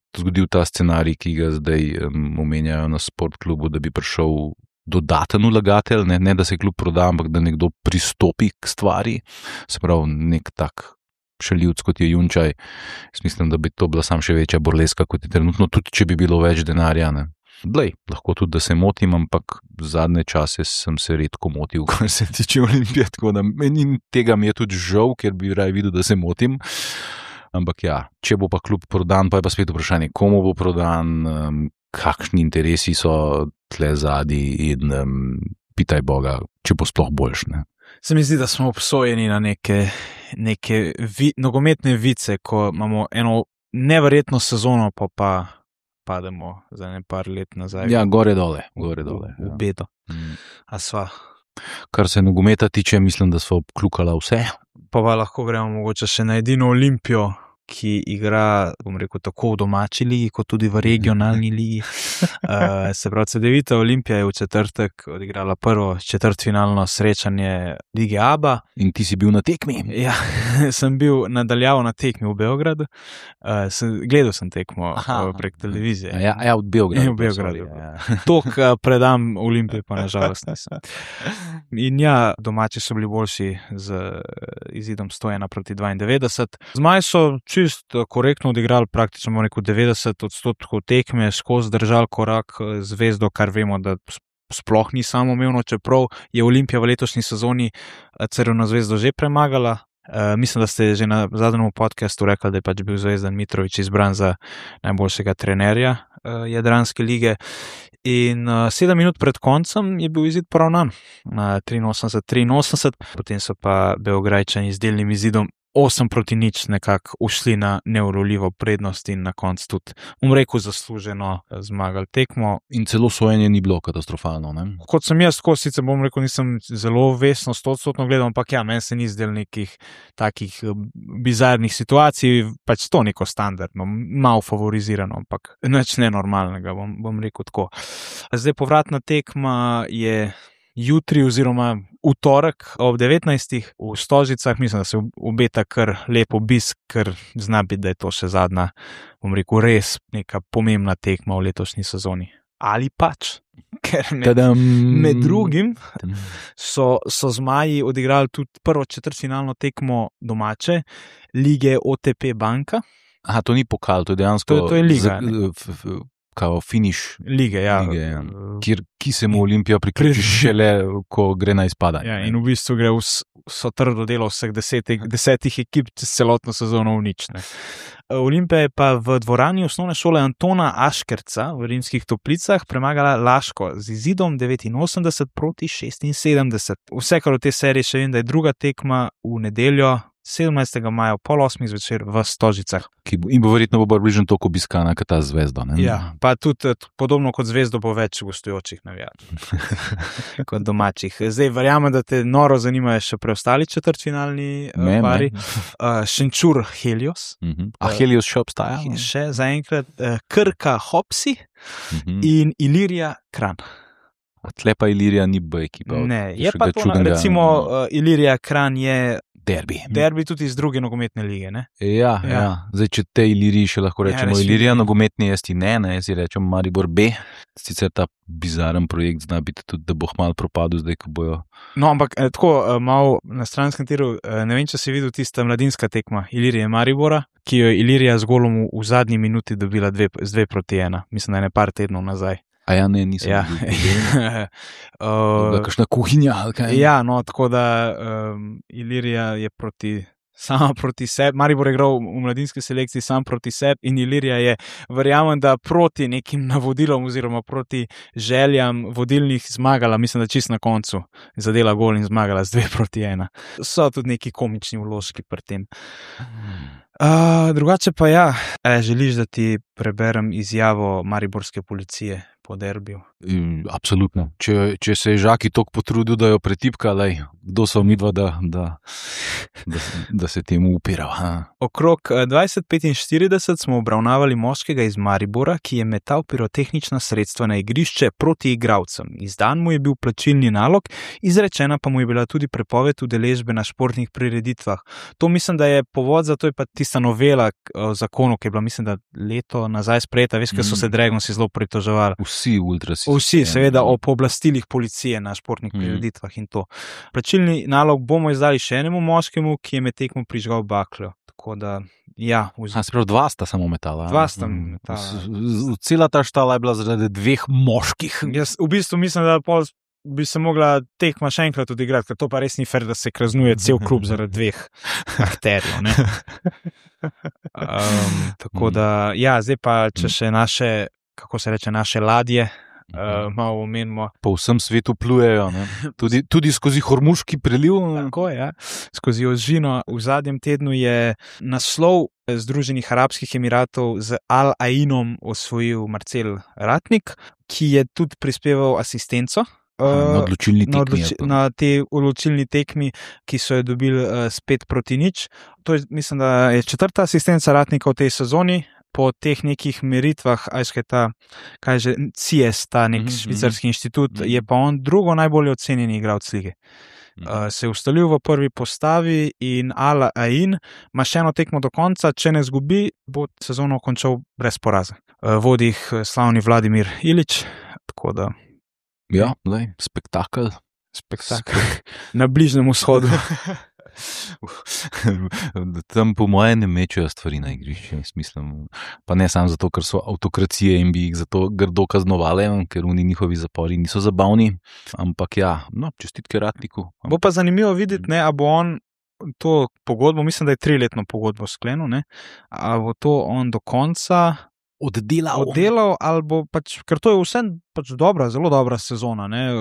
ta scenarij, ki ga zdaj omenjajo na sportklubu, da bi prišel dodaten vlagatelj, ne da se klub proda, ampak da nekdo pristopi k stvari, se pravi nek tak šaljivc, kot je Junčaj, jaz mislim, da bi to bila sam še večja burleska, kot je trenutno, tudi če bi bilo več denarja, ne. Lahko tudi, da se motim, ampak zadnje čase sem se redko motil, kar se tiče Olimpije, tako da tega mi je tudi žal, ker bi raje videl, da se motim. Ampak ja, če bo pa klub prodan, pa je pa spet vprašanje, komu bo prodan, kakšni interesi so tle zadnji in pitaj Boga, če bo sploh boljš, ne. Se mi zdi, da smo obsojeni na neke nogometne vice, ko imamo eno neverjetno sezono, pa pademo za par let nazaj. Ja, gore dole. V bedo. A sva. Kar se nogometa tiče, mislim, da sva obkljukala vse. Pa lahko gremo mogoče še na edino Olimpijo, ki igra, bom rekel, tako v domači ligi, kot tudi v regionalni ligi. Se pravi, Cedevita Olimpija je v četrtek odigrala prvo četrtfinalno srečanje lige ABA. In ti si bil na tekmi? Ja, sem bil nadaljavo na tekmi v Beogradu. Gledal sem tekmo prek televizije. Ja, v Beogradu. V Beogradu. Tok predam Olimpije, pa nažalost nisem. In ja, domači so bili boljši z izidom 101-92. Zmaji so čist korektno odigrali, praktično rekel 90% tekme, skozi držali korak Zvezdo, kar vemo, da sploh ni samoumevno, čeprav je Olimpija v letošnji sezoni Crveno Zvezdo že premagala. Mislim, da ste že na zadnjem podcastu rekli, da je pač bil Zvezdan Mitrović izbran za najboljšega trenerja Jadranske lige. In 7 minut pred koncem je bil izid poravnan na 83-83, potem so pa Beograjčani z delnim izidom 8-0 nekako ušli na neuroljivo prednost in na koncu tudi, rekel, zasluženo zmagali tekmo. In celo sojenje ni bilo katastrofalno, ne? Kot sem jaz, sicer rekel, nisem zelo vesno 100% gledal, ampak ja, meni se ni zdel nekih takih bizarnih situacij, pač to neko standardno, malo favorizirano, ampak nič nenormalnega, bom rekel tako. Zdaj povratna tekma je jutri oziroma v torek ob 19. v Stožicah, mislim, da se obeta kar lep obisk, ker zna biti, da je to še zadnja, bom rekel, res neka pomembna tekma v letošnji sezoni. Ali pač, ker med drugim so zmaji odigrali tudi prvo četrtfinalno tekmo domače lige OTP Banka. Aha, to ni pokal, to je dejansko to je liga, kao finiš lige, ja. Ki se mu Olimpija priključi šele, ko gre na izpadanje. Ja, in v bistvu gre so trdo delo vseh 10 ekip čez celotno sezono v nič. Olimpija je pa v dvorani osnovne šole Antona Aškerca v Rimskih Toplicah premagala Laško z izidom 89-76. Vsekakor v tej seriji še vem, da je druga tekma v nedeljo 17. maja ob 7:30 zvečer v Stožicah. In bo verjetno bližno toliko obiskana kot ta Zvezda. Ne? Ja, pa tudi podobno kot Zvezdo bo več gostujočih navijačev kot domačih. Zdaj verjamem, da te noro zanimajo še preostali četrtfinalni pari. Šenčur Helios. A Helios še obstaja? Še zaenkrat Krka Hopsi in Ilirija Kranj. Tle pa Ilirija ni B ekipa. Ne, je pa to, recimo Ilirija Kranj je derbi tudi iz druge nogometne lige, ne? Ja. Zdaj, če te Iliriji še lahko rečemo, Ilirija nogometni jaz ti ne, jaz ti rečem Maribor B. Sicer ta bizaren projekt zna biti tudi, da bo malo propadel zdaj, ko bojo. No, ampak tako malo na stranskem tiru, ne vem, če si videl tista mladinska tekma Ilirije Maribora, ki jo je Ilirija z golom v zadnji minuti dobila 2-1. Mislim, da je par tednov nazaj. A ja, ne, nisem videl. Kakšna kuhinja, ali kaj? Ja, no, tako da Ilirija je sama proti sebi, Maribor je igral v mladinski selekciji sam proti sebi in Ilirija je, verjamem, da proti nekim navodilom oziroma proti željam vodilnih zmagala, mislim, da čist na koncu zadela gol in zmagala z 2-1. So tudi neki komični vložki pri tem. Drugače pa ja, želiš, da ti preberem izjavo mariborske policije po derbiju? Absolutno. Če se je Žaki toliko potrudil, da jo pretipka, kdo so midva, da se temu upira. Okrog 20:45 smo obravnavali moškega iz Maribora, ki je metal pirotehnična sredstva na igrišče proti igralcem. Izdan mu je bil plačilni nalog, izrečena pa mu je bila tudi prepoved udeležbe na športnih prireditvah. To mislim, da je povod za to, je pa tista novela o zakonu, ki je bila, mislim, da leto nazaj sprejeta, veš, ker so se Dragonsi zelo pritoževali. Vsi, seveda, o pooblastilih policije na športnih prireditvah in to. Plačilni nalog bomo izdali še enemu moškemu, ki je med tekmo prižgal bakljo. Tako da, ja. Sprav, dva sta samo metala. Dva sta metala. Cela ta štala je bila zaradi dveh moških. Jaz v bistvu mislim, da bi se mogla tekma še enkrat odigrati, ker to pa res ni fair, da se kaznuje cel klub zaradi dveh akterjev, ne? Tako da, ja, zdaj pa, če še naše, kako se reče, naše ladje, malo omenimo. Po vsem svetu plujejo, ne? Tudi skozi Hormuški preliv. Tako je, ja. Skozi Ožino. V zadnjem tednu je naslov Združenih arabskih emiratov z Al Ainom osvojil Marcel Ratnik, ki je tudi prispeval asistenco. Na te odločilni tekmi, ki so jo dobili 5-0. To je, mislim, da je 4. asistenca Ratnika v tej sezoni. Po teh nekih meritvah, CIES, ta nek švicarski inštitut, je pa on drugo najbolje ocenjeni igralec lige. Se je ustalil v prvi postavi in Al Ain ima še eno tekmo do konca, če ne zgubi, bo sezono končal brez poraza. Vodi jih slavni Vladimir Ilić, tako da. Ja, spektakel. Na Bližnjem vzhodu. Tam po moje ne mečejo stvari na igrišče, mislim, pa ne samo zato, ker so avtokracije in bi jih zato grdo kaznovali, ker oni njihovi zapori niso zabavni, ampak ja, čestitke Ratniku. Bo pa zanimivo videti, ne, a bo on to pogodbo, mislim, da je 3-letno pogodbo sklenil, ne, a bo to on do konca oddelal ali bo pač, ker to je vse pač zelo dobra sezona, ne,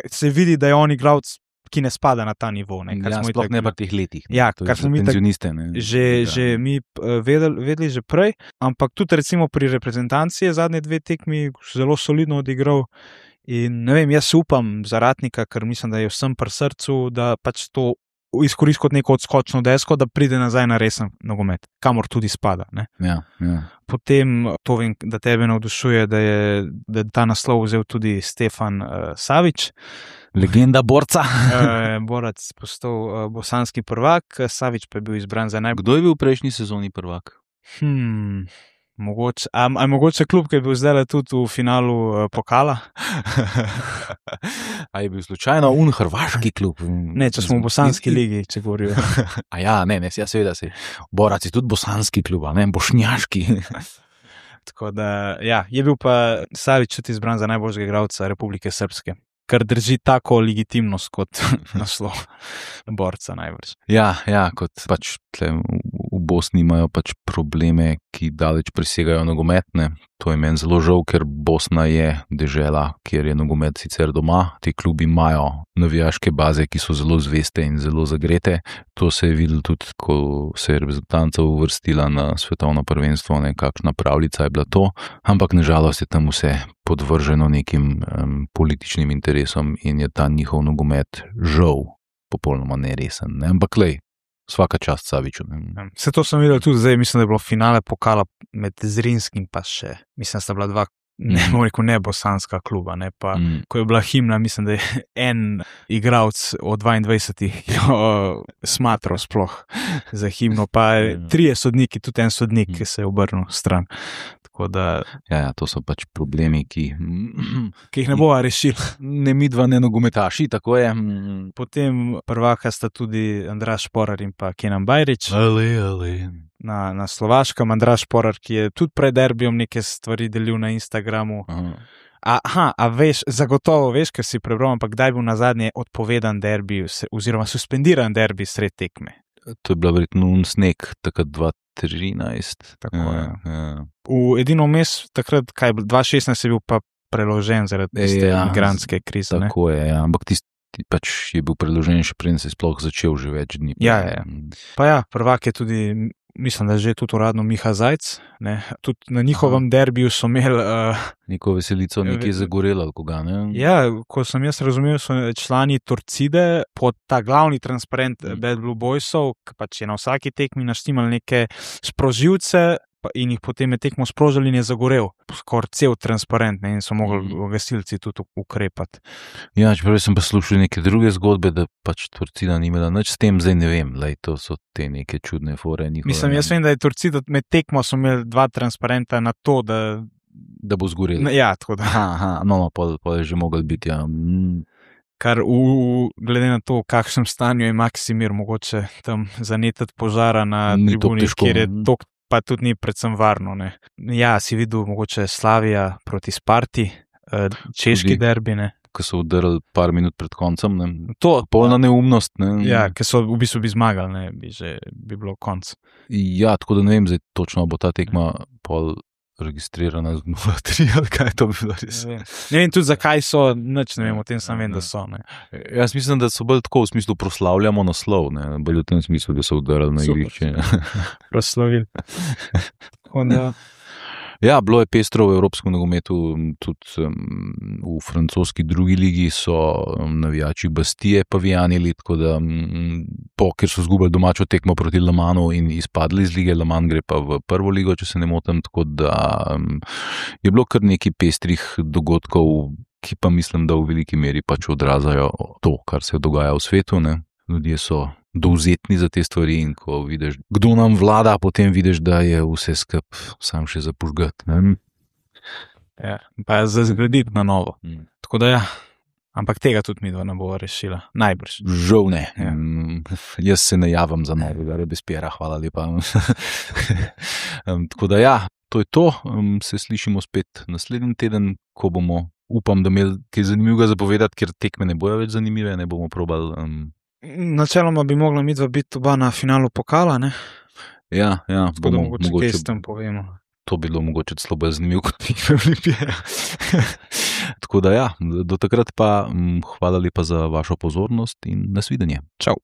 se vidi, da je on igralec, ki ne spada na ta nivo. Sploh ne v teh letih. Ja, kar smo mi že mi vedeli že prej, ampak tudi recimo pri reprezentanci je zadnje 2 tekmi zelo solidno odigral in ne vem, jaz upam za Ratnika, ker mislim, da je vsem pri srcu, da pač to izkoristi kot neko odskočno desko, da pride nazaj na resen nogomet, kamor tudi spada. Ne? Ja. Potem to vem, da tebe navdušuje, da je ta naslov vzel tudi Stefan Savić. Legenda borca. Borac postal bosanski prvak, Savić pa je bil izbran za Kdo je bil v prejšnji sezoni prvak? Mogoče, mogoče klub, ki je bil zdaj tudi v finalu pokala? A je bil slučajno hrvaški klub? Ne, če smo v bosanski ligi, če govorijo. A ja, ne, seveda si. Borac je tudi bosanski klub, ne, bošnjaški. Tako da, ja, je bil pa Savić tudi izbran za najboljšega igralca Republike Srpske, kar drži tako legitimnost kot naslov borca najbrž. Ja, kot pač tle v Bosni imajo pač probleme, ki daleč presegajo nogometne. To je meni zelo žal, ker Bosna je dežela, kjer je nogomet sicer doma. Ti klubi imajo navijaške baze, ki so zelo zveste in zelo zagrete. To se je videlo tudi, ko se je reprezentanca uvrstila na svetovno prvenstvo, kakšna pravljica je bila to. Ampak nažalost je tam vse podvrženo nekim političnim interesom in je ta njihov nogomet žal popolnoma neresen. Ne? Ampak lej, vsaka čast Saviću. Vse to sem videl tudi zdaj, mislim, da je bilo finale pokala med Zrinskim pa še, mislim, da sta bila dva, ne bosanska kluba, ne, pa ko je bila himna, mislim, da je en igralec od 22 smatral sploh za himno, pa 3 sodniki, tudi en sodnik, ki se je obrnil stran. Da, ja, to so pač problemi, ki jih ne bova rešili. Ne midva, ne nogometaši, tako je. Potem prvaka sta tudi Andraž Šporar in pa Kenan Bajrić. Na Slovaškem, Andraž Šporar, ki je tudi pred derbijem neke stvari delil na Instagramu. Zagotovo veš, ker si prebral, ampak kdaj bil nazadnje odpovedan derbi oziroma suspendiran derbi sred tekme? To je bila verjetno sneg, takrat 2013. Tako je. V edino mes, takrat, 2016 je bil pa preložen zaradi tiste migrantske krize. Tako je, ampak tisti pač je bil preložen še preden se je sploh začel že več dni. Ja. Pa ja, prvak je tudi, mislim, da že tudi uradno Miha Zajc, ne, tudi na njihovem derbiju so imeli neko veselico, nekje zagorelo, ali koga, ne? Ja, ko sem jaz razumel, so člani Torcide pod ta glavni transparent Bad Blue Boysov, ki pač je na vsaki tekmi naštimali neke sprožilce in jih potem je tekmo sprožili in je zagorel. Skoraj cel transparent, ne, in so mogli gasilci tudi ukrepati. Ja, čeprav sem pa slušal neke druge zgodbe, da pač Torcida ni imela nič s tem, zdaj ne vem, to so te neke čudne fore njihove. Mislim, jaz vem, da je Torcida med tekmo so imeli 2 transparenta na to, da bo zgorelo. Ja, tako da. Pol je že mogel biti, ja. Kar glede na to, v kakšnem stanju je Maksimir, mogoče tam zanetati požara na tribuni, kjer je to pa tudi ni predvsem varno. Ne. Ja, si videl mogoče Slavija proti Sparti, češki derbi, ne. Ko so udarili par minut pred koncem, ne. Polna neumnost, ne. Ja, ker so v bistvu bi zmagali, ne, bi bilo konc. Ja, tako da ne vem, zdaj točno bo ta tekma pol registrirana z 0-3, ali kaj to bi bilo res. Ne vem tudi, zakaj so, nič ne vem, o tem sam vem, da so. Ne. Jaz mislim, da so bolj tako v smislu proslavljamo naslov, ne, bolj v tem smislu, da so udarili na igrišče. Proslavili. Ja, bilo je pestro v evropskem nogometu, tudi v francoski drugi ligi so navijači Bastije pavijanili, tako da ker so zgubili domačo tekmo proti Le Mansu in izpadli iz lige, Le Mans gre pa v prvo ligo, če se ne motim, tako da je bilo kar nekaj pestrih dogodkov, ki pa mislim, da v veliki meri pač odražajo to, kar se dogaja v svetu, ne. Ljudje so dovzetni za te stvari in ko vidiš, kdo nam vlada, potem vidiš, da je vse skup sam še zapužgati. Ja, pa je za zgraditi na novo. Tako da ja, ampak tega tudi mi dva ne bo rešila. Najbrž. Žal ne. Ja. Jaz se ne javim za novega Robespierra, hvala lepa. Tako da ja, to je to. Se slišimo spet naslednji teden, ko bomo, upam, da imeli kaj zanimivega zapovedati, ker tekme ne bojo več zanimive, ne bomo probali. Načeloma bi mogla midva biti oba na finalu pokala, ne? Ja. Tako da mogoče kaj s tem povemo. To bi bilo mogoče celo bolj zanimivo kot tekme Olimpije. Tako da ja, do takrat pa hvala lepa za vašo pozornost in nasvidenje. Čau.